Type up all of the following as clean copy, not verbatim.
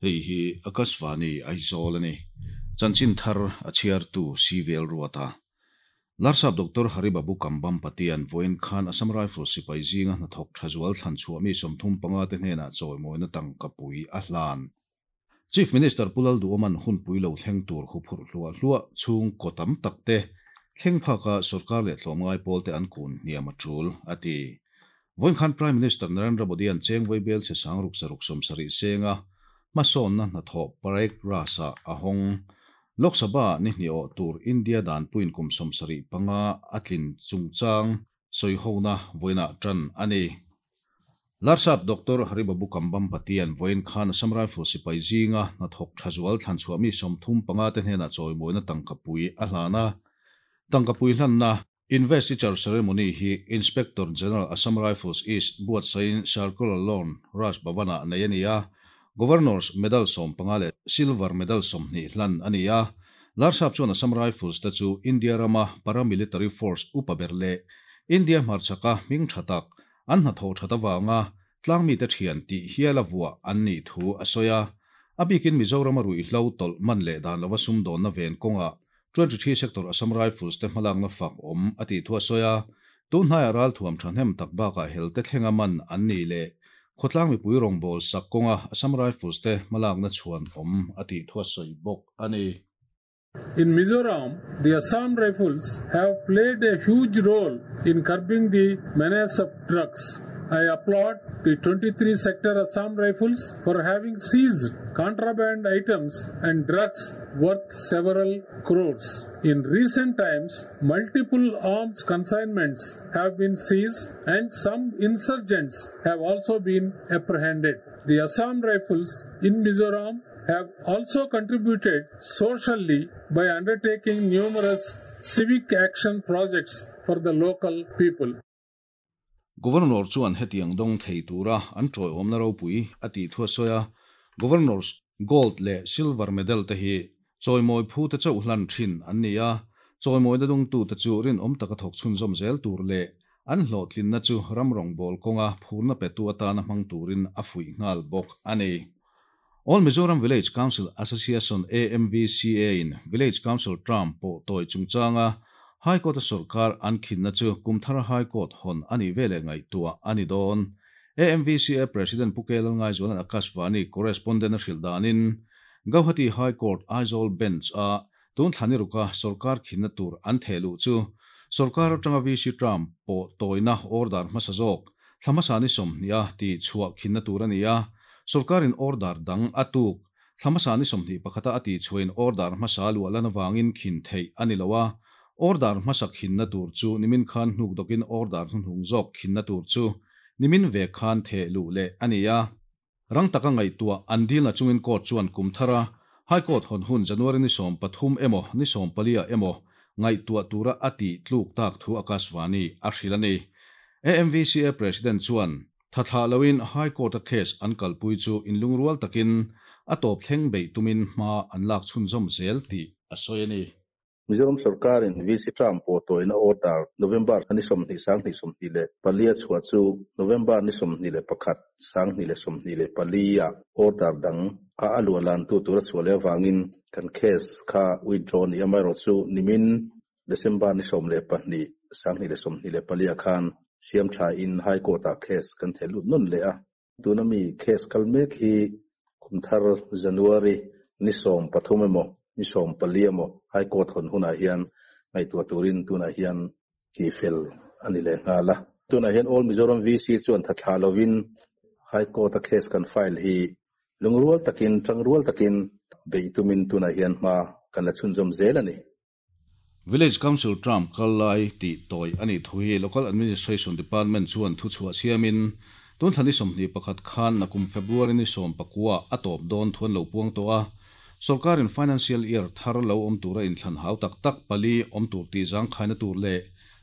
Hei hi Akashvani Aizawl a ni. Chanchin thar a chhiartu CVL Ruata. Larsap Doctor Haribabu Kambam Patian vawiin khan Assam Rifles sipai zinga hnathawk tha zual thlan chhuah mi 35 te hnenah chawimawina tangka pui a hlan. Chief Minister Pu Lalduhawman hunpui lo thleng tur huphurh hluah hluah chhung kaw tam tak te thleng phaka sorkar leh tlawmngai pawl te an kun hniam a tul, a ti. Vawiin khan Prime Minister Narendra Modi-a'n Chengvai bel chhe sang ruk saruk 70 senga hmasawnna hnathawh Parade Grass-ah a hawng. Lok Sabha ni hnih awh tur India danpuiin kum 75 a tlin chungchang sawihona vawiinah tan a ni. Larsap Doctor Haribabu Kambam Patian vawiin khan Assam Rifles sipai zinga hnathawk tha zual thlan chhuah mi 35 te hnenah chawimawina tangkapui a hlan a. Tangkapui hlanna Investiture Ceremony hi Inspector General Assam Rifles East buatsaiin Circular Lawn, Raj Bhavan-ah nei a ni a. Governor's Medal 15 leh Silver Medal 20 hlan a ni a. Larsap chuan Assam Rifles te chu India rama paramilitary force upa ber leh India hmarchhaka hming tha tak an hnathawh that avanga tlangmite thian tih hial a vuah an nih thu a sawi a. A bikin Mizorama ruihhlo tawlh man leh dan lova sumdawnna ven kawngah 23 Sector Assam Rifles te hmalakna fak awm a tih thu a sawi a. Tun hnaiah ralthuam thahnem tak bakah helte thlenga man an nih leh khawtlang mipui rawngbâwl sak kawnga Assam Rifles te hmalakna chhuan awm a tih thu a sawi bawk a ni. In Mizoram, the Assam Rifles have played a huge role in curbing the menace of drugs. I applaud the 23 Sector Assam Rifles for having seized contraband items and drugs worth several crores. In recent times, multiple arms consignments have been seized and some insurgents have also been apprehended. The Assam Rifles in Mizoram have also contributed socially by undertaking numerous civic action projects for the local people. Governor chuan hetiang dawng thei tura an tawiawmna ropui a tih thu a sawi a. Governor's Gold leh Silver Medal te hi chawimawi phu te chauh hlan thin an ni a, chawimawina dawngtute chu rinawm taka thawk chhunzawm zel tur leh an hlawhtlinna chu ram rawngbâwl kawnga phurna petu atana hmang turin a fuih nghal bawk a ni. All Mizoram Village Council Association, AMVCA, in Village Council term pawh tawi chungchanga High Court-a sorkar an khinna chu kum thara High Court hawn a nih veleh ngaihtuah a ni dawn. AMVCA President Pu K. Lalngaizuala'n Akashvani correspondent a hrilh danin Gauhati High Court Aizawl Bench-a tun thla ni ruka sorkar khinna tur an theh luh chu sorkar atanga VC term pawh tawina order hmasa zawk thla hmasa ni 20 a tih chhuah khinna tur a ni a, sorkarin order dang a tuk thla hmasa ni 21 a a tih chhuahin order hmasa luah lan avangin khin theih a ni lo a, order hmasa khinna tur chu nimin khan hnuk dawkin order hnuhnung zawk khinna tur chu nimin ve khan theh luh leh a ni a. Rang taka ngaihtuah an dilna chungin court chuan kum thara High Court hawn hun January ni 13 emaw ni 14 ah emaw ngaihtuah tura a tih tluk tak thu Akashvani a hrilh a ni. AMVCA President chuan thathlah loin High Court-a case an kalpui chu inlungrual takin a tawp thleng beih tumin hma an lak chhunzawm zel tih a sawi a ni. Mizoram sorkarin VC term pawh tawina order November ni 20 2024 a chhuah chu November ni 21 2024 ah order dang a a luah lan tu tur a chhuah leh avangin kan case kha withdraw ni amaherawhchu nimin December ni 12 2024 ah khan siam tha in High Court ah case kan theh lut nawn leh a. Tuna mi case kal mek hi kum thar January ni 13 emaw ni 14 emaw High Court hawn hunah hian ngaihtuah turin tunah hian tih fel a ni leh nghal a. Tunah hian All Mizoram VC chuan thathlah lovin High Court a case kan file hi lungrual takin tangrual takin beih tumin tunah hian hma kan la chhunzawm zel a ni. Village Council term kal lai tih tawi a nih thu hi Local Administration Department chuan thu chhuah siamin tun thla ni 21 khan nakum February ni 19 a tawp dawn thu an lo puang tawh a. Sorkarin financial year thar lo awm tura inthlan hau tak tak pali awm tur tih zangkhaina tur leh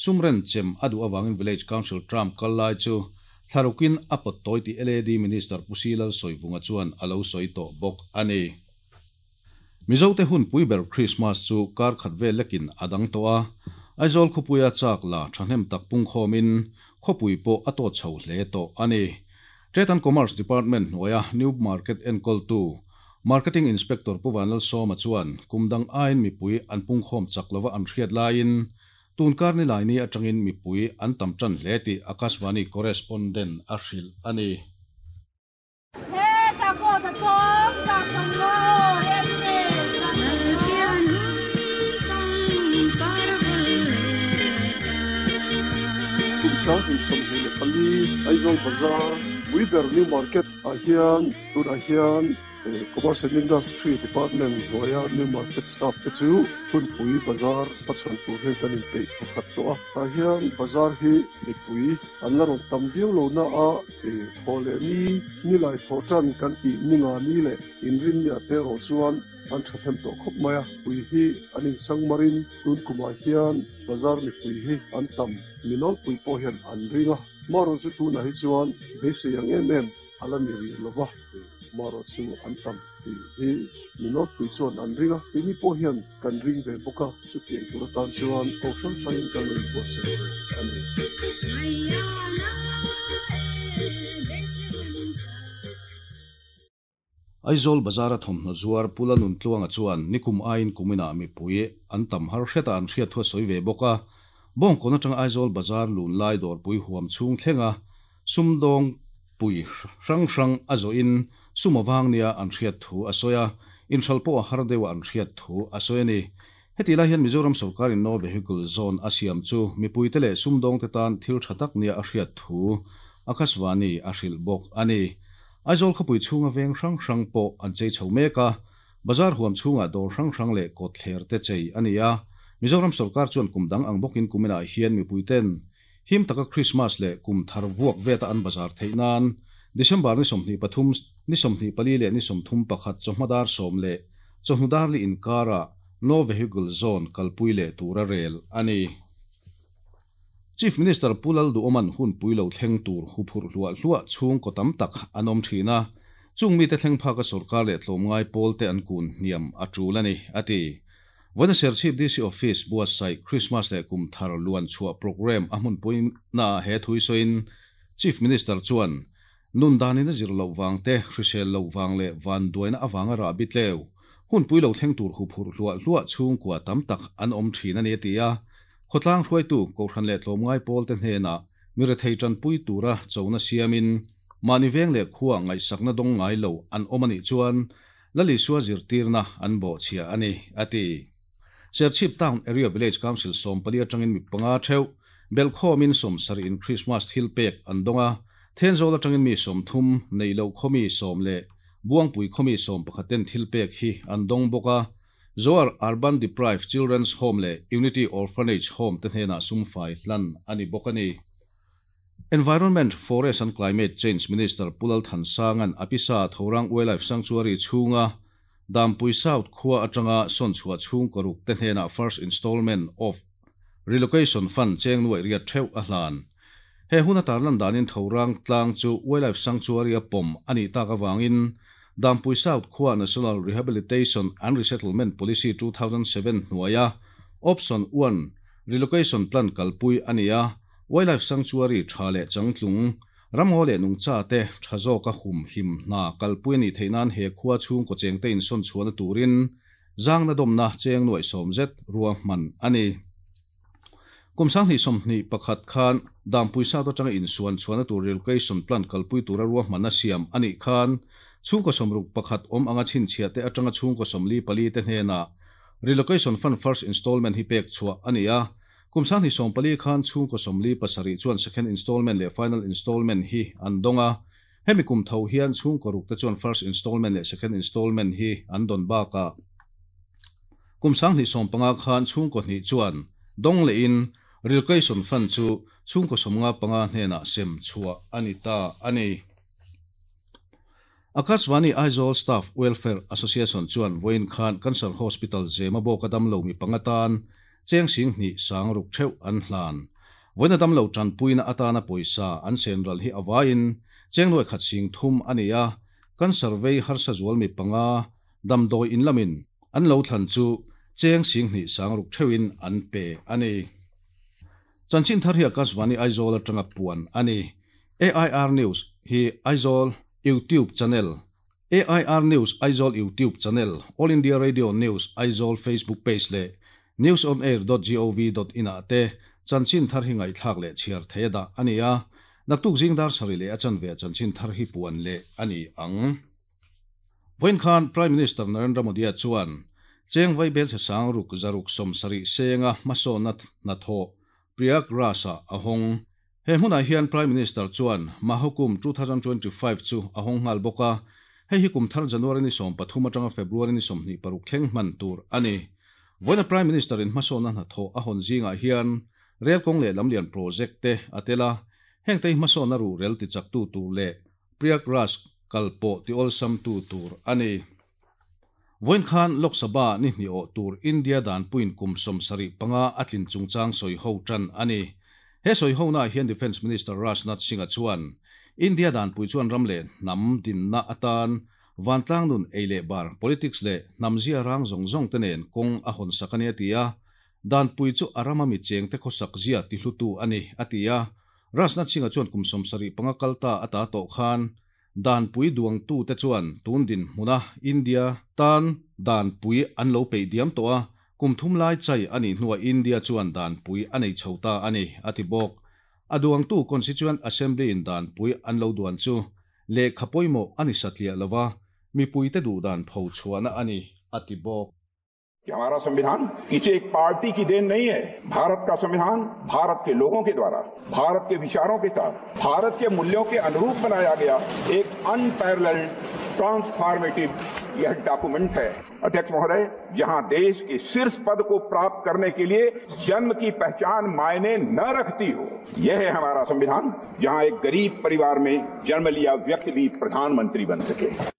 sumren chem a duh avangin Village Council term kal lai chu thlarukin a pawt tawi tih LAD Minister Pu Si Lalsawivunga chuan a lo sawi tawh bawk a ni. Mizote hun pui ber Christmas chu kar khat vel lekin a dang tawh a. Aizawl khawpuia chak la thahnem tak pungkhawmin khawpui pawh a tawt chho hle tawh a ni. Trade and Commerce Department hnuaia New Market enkawltu Marketing Inspector Pu Vanlalsawma chuan kum dang aiin mipui an pungkhawm chak lova an hriat laiin tun kar nilaini atangin mipui an tam tan hle tih Akashvani correspondent a hrilh a ni. Kum 2024 Aizawl Bazar Puiber New Market ah hian tunah hian Commerce and Industry Department hnuaia New Market staff te chu hunpui bazar hmachhawn tur hian kan inpeih pakhat tawh a. Tah hian bazar hi mipui an la rawn tam viau lo na a, Thaw leh ni, ni lai thaw tan kan tih ni nga ni leh inrin ni a te erawh chuan an thahnem tawh khawp mai a. Pui hi an insang marin tun kumah hian bazar mipui hi an tam, mi nawlpui pawh hian an ring a. Marawh chu tunah hi chuan beisei ang em em a la ni rih lo va, marawh chu an tam tih hi mi nawlpui chuan an ring a, keini pawh hian kan ring ve bawk a, chutiang tur atan chuan ko hrang hrangin kan lo inbuatsaih reng a ni. Aizawl Bazar-a thawmhnaw zuar Pu Lanuntluanga chuan nikum aiin kuminah mipui an tam har hret a an hriat thu a sawi ve bawk a. Bawngkawn atanga Aizawl Bazar lun lai dawrpui huam chhung thlenga sumdawng pui hrang hrang a zawhin sum avang nia an hriat thu a sawi a, inhral pawh a har deuh a an hriat thu a sawi a ni. Hetih lai hian Mizoram sawrkarin No Vehicle Zone a siam chu mipuite leh sumdawngte tan thil tha tak nia a hriat thu Akashvani a hrilh bawk a ni. Aizawl khawpui chhunga veng hrang hrang pawh an chei chho mek a, bazar huam chhungah dawr hrang hrang leh kawtthler te chei a ni a. Mizoram sawrkar chuan kum dang ang bawkin kuminah hian mipuiten Him taka Krismas leh kum thar vuak veta an bazar theih nan December ni 23, ni 24 leh ni 31 chawhma dar 10 leh chawhnu dar li inkarah No Vehicle Zone kalpui leh tura rel a ni. Chief Minister Pu Lalduhawman hunpui lo thleng tur huphurh hluah hluah chhungkaw tam tak an awm thin a, chung mite thleng phaka sorkar leh tlawmngai pawlte an kun hniam a tul a ni, a ti. Vawiina Serchhip DC Office buatsaih Krismas leh kum thar luan chhuah programme a hmunpui naah he thu sawiin Chief Minister chuan nun danin a zir loh vang te, hrisel loh vang leh vanduaina avanga rah bitleu, hunpui lo thleng tur huphurh hluah hluah chhungkua tam tak an awm thin a ni a ti a. Khawtlang hruaitu Kohhran leh tlawmngai pawlte hnenah mi rethei tanpui tura chona siamin mahni veng leh khua ngaihsakna dawng ngai lo an awm a nih chuan Lal Isua zirtirna an bawhchhia a ni, a ti. Serchhip Town Area Village Council 14 atangin mi panga theuh, belhkhawmin 70 in Krismas thil pek an dawng a, Thenzawl atangin mi 30, Neihloh khawmi 10 leh Buangpui khawmi 11 ten thil pek hi an dawng bawk a. Zoar Urban Deprived Children's Home leh Unity Orphanage Home te hnenah sumfai hlan a ni bawk a ni. Environment, Forest and Climate Change Minister Pu Lal Thansanga'n a pisa Thorang Wildlife Sanctuary chhunga Dampui South khua atanga sawn chhuah chhungkaw ruk te hnenah First Installment of Relocation Fund cheng nuaih riat theuh a hlan. He hun a tarlan danin Thorang tlang chu Wildlife Sanctuary a pawm a nih tak avangin Dampui South khua National Rehabilitation and Resettlement Policy 2007 hnuaia Option 1 Relocation Plan kalpui a ni a, Wildlife Sanctuary tha leh changtlung, ramngaw leh nungcha te tha zawka hum him hna kalpui a nih theih nan he khua chhungkaw chengte insawn chhuahna turin zangna dawmna cheng nuaih sawm zet ruahman a ni. Kum 2021 khan Dampui South atanga insuan chhuahna tur relocation plan kalpui tura ruahmanna siam a nih khan chhungkaw 61 awm anga chhinchhiah te atanga chhungkaw 44 te hnenah Relocation Fund First Installment hi pek chhuah a ni a. Kum 2014 khan chhungkaw 47 chuan second installment leh final installment hi an dawng a. Hemi kum tho hian chhungkaw ruk te chuan first installment leh second installment hi an dawn bakah kum 2015 khan chhungkaw hnih chuan dawng lehin relocation fund chu chhungkaw 55 hnenah sem chhuah a ni ta a ni. Akashvani Aizawl Staff Welfare Association chuan vawiin khan Cancer Hospital Zema bawka damlo mi panga tan cheng sing hnih sang ruk theuh an hlan. Vawiina damlo tanpuina atana pawisa an sen ral hi avaiin cheng nuai khat sing thum a ni a, cancer vei harsa zual mi panga damdawi in lamin an lo thlan chu cheng sing hnih sang ruk theuhin an pe a ni. Chanchin thar hi Akashvani Aizawl atanga puan a ni. AIR News hi Aizawl YouTube channel, AIR News Aizawl YouTube channel, All India Radio News Aizawl Facebook page leh newsonair.gov.in ah te chanchin thar hi ngaihthlak leh chhiar theih a dah a ni a. Naktuk zing dar sarih leh a chanve ah chanchin thar hi puan leh a ni ang. Vawiin khan Prime Minister Narendra Modi-a chuan cheng vaibelchhe sang ruk zaruk 70 senga hmasawnna hnathawh Prayagraj-ah a hawng. He hmunah hian Prime Minister chuan Mahakumbh 2025 chu a hawng nghal bawk a, hei hi kum thar January ni 13 atanga February ni 26 thleng hman tur a ni. Vawiina Prime Minister-in hmasawnna hnathawh a hawn zingah hian rel kawng leh lamlian project te a tel a, hengte hi hmasawnna ruhrel tichaktu tur leh Prayagraj kal pawh ti awlsamtu tur a ni. Vawiin khan Lok Sabha ni hnih awh tur India danpuiin kum 75 a tlin chungchang sawi ho tan a ni. He sawi honaah hian Defence Minister Rajnath Singh-a chuan India danpui chuan ram leh hnam dinna atan vantlang nun ei leh bar, politics leh hnam zia rang zawng zawng te nen kawng a hawn sak a ni a ti a. Danpui chu a rama mi chengte khawsak zia tihlutu a ni a ti a. Rajnath Singh-a chuan kum 75 kal ta a ta tawh khan Danpui duangtute chuan tun dinhmuna India tan danpui an lo peih diam tawh a, kum thum lai chai a nih hnuah India chuan danpui a nei chho ta a ni, a ti bawk. A duangtu Constituent Assembly-in danpui an lo duan chu lehkha pawimawh a ni satliah lo va, mipuite duhdan phochhuahna a ni, a ti bawk. कि हमारा संविधान किसी एक पार्टी की then नहीं है। भारत का संविधान भारत के लोगों के द्वारा, भारत के विचारों के साथ, भारत के मूल्यों के अनुरूप बनाया गया एक अनपैरेलल्ड ट्रांसफॉर्मेटिव यह डॉक्यूमेंट है। अध्यक्ष महोदय, जहां देश के शीर्ष पद को प्राप्त करने के लिए जन्म की पहचान मायने न रखती हो, यह है हमारा संविधान, जहां एक गरीब परिवार में जन्म लिया व्यक्ति भी प्रधानमंत्री बन सके।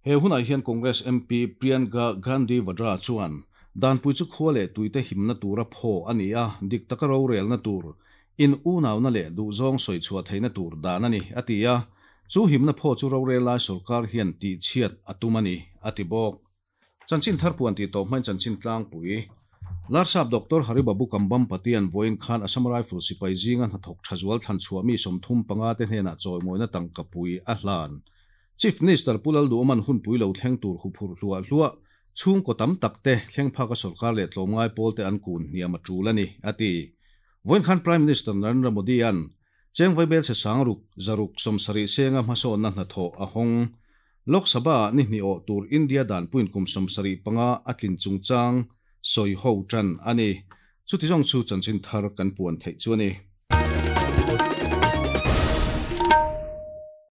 He hunah hian Congress MP Priyanka Gandhi Vadra chuan danpui chu khua leh tuite himna tura phaw a ni a, dik taka rorelna tur, in unauna leh duhzawng sawi chhuah theihna tur dan a ni, a ti a. Chu himna phaw chu rorel lai sorkar hian tihchhiat a tum a ni, a ti bawk. Chanchin thar puan tih tawp hmain chanchin tlangpui. Larsap Doctor Haribabu Kambhampatian vawiin khan Assam Rifles sipai zinga hnathawk tha zual thlan chhuah mi 35 te hnenah chawimawina tangkapui a hlan. Chief Minister Pu Lalduhawman hunpui lo thleng tur huphurh hluah hluah chhungkaw tam tak te thleng phaka sorkar leh tlawmngai pawl te an kun hniam a tul a ni, a ti. Vawiin khan Prime Minister Narendra Modi-a'n cheng vaibelchhe sangruk zaruk 70 senga hmasawnna hnathawh a hawng. Lok Sabha-ah ni hnih awh tur India danpuiin kum 75 a tlin chungchang sawi ho tan a ni. Chuti zawng chu chanchin thar kan puan theih chu a ni.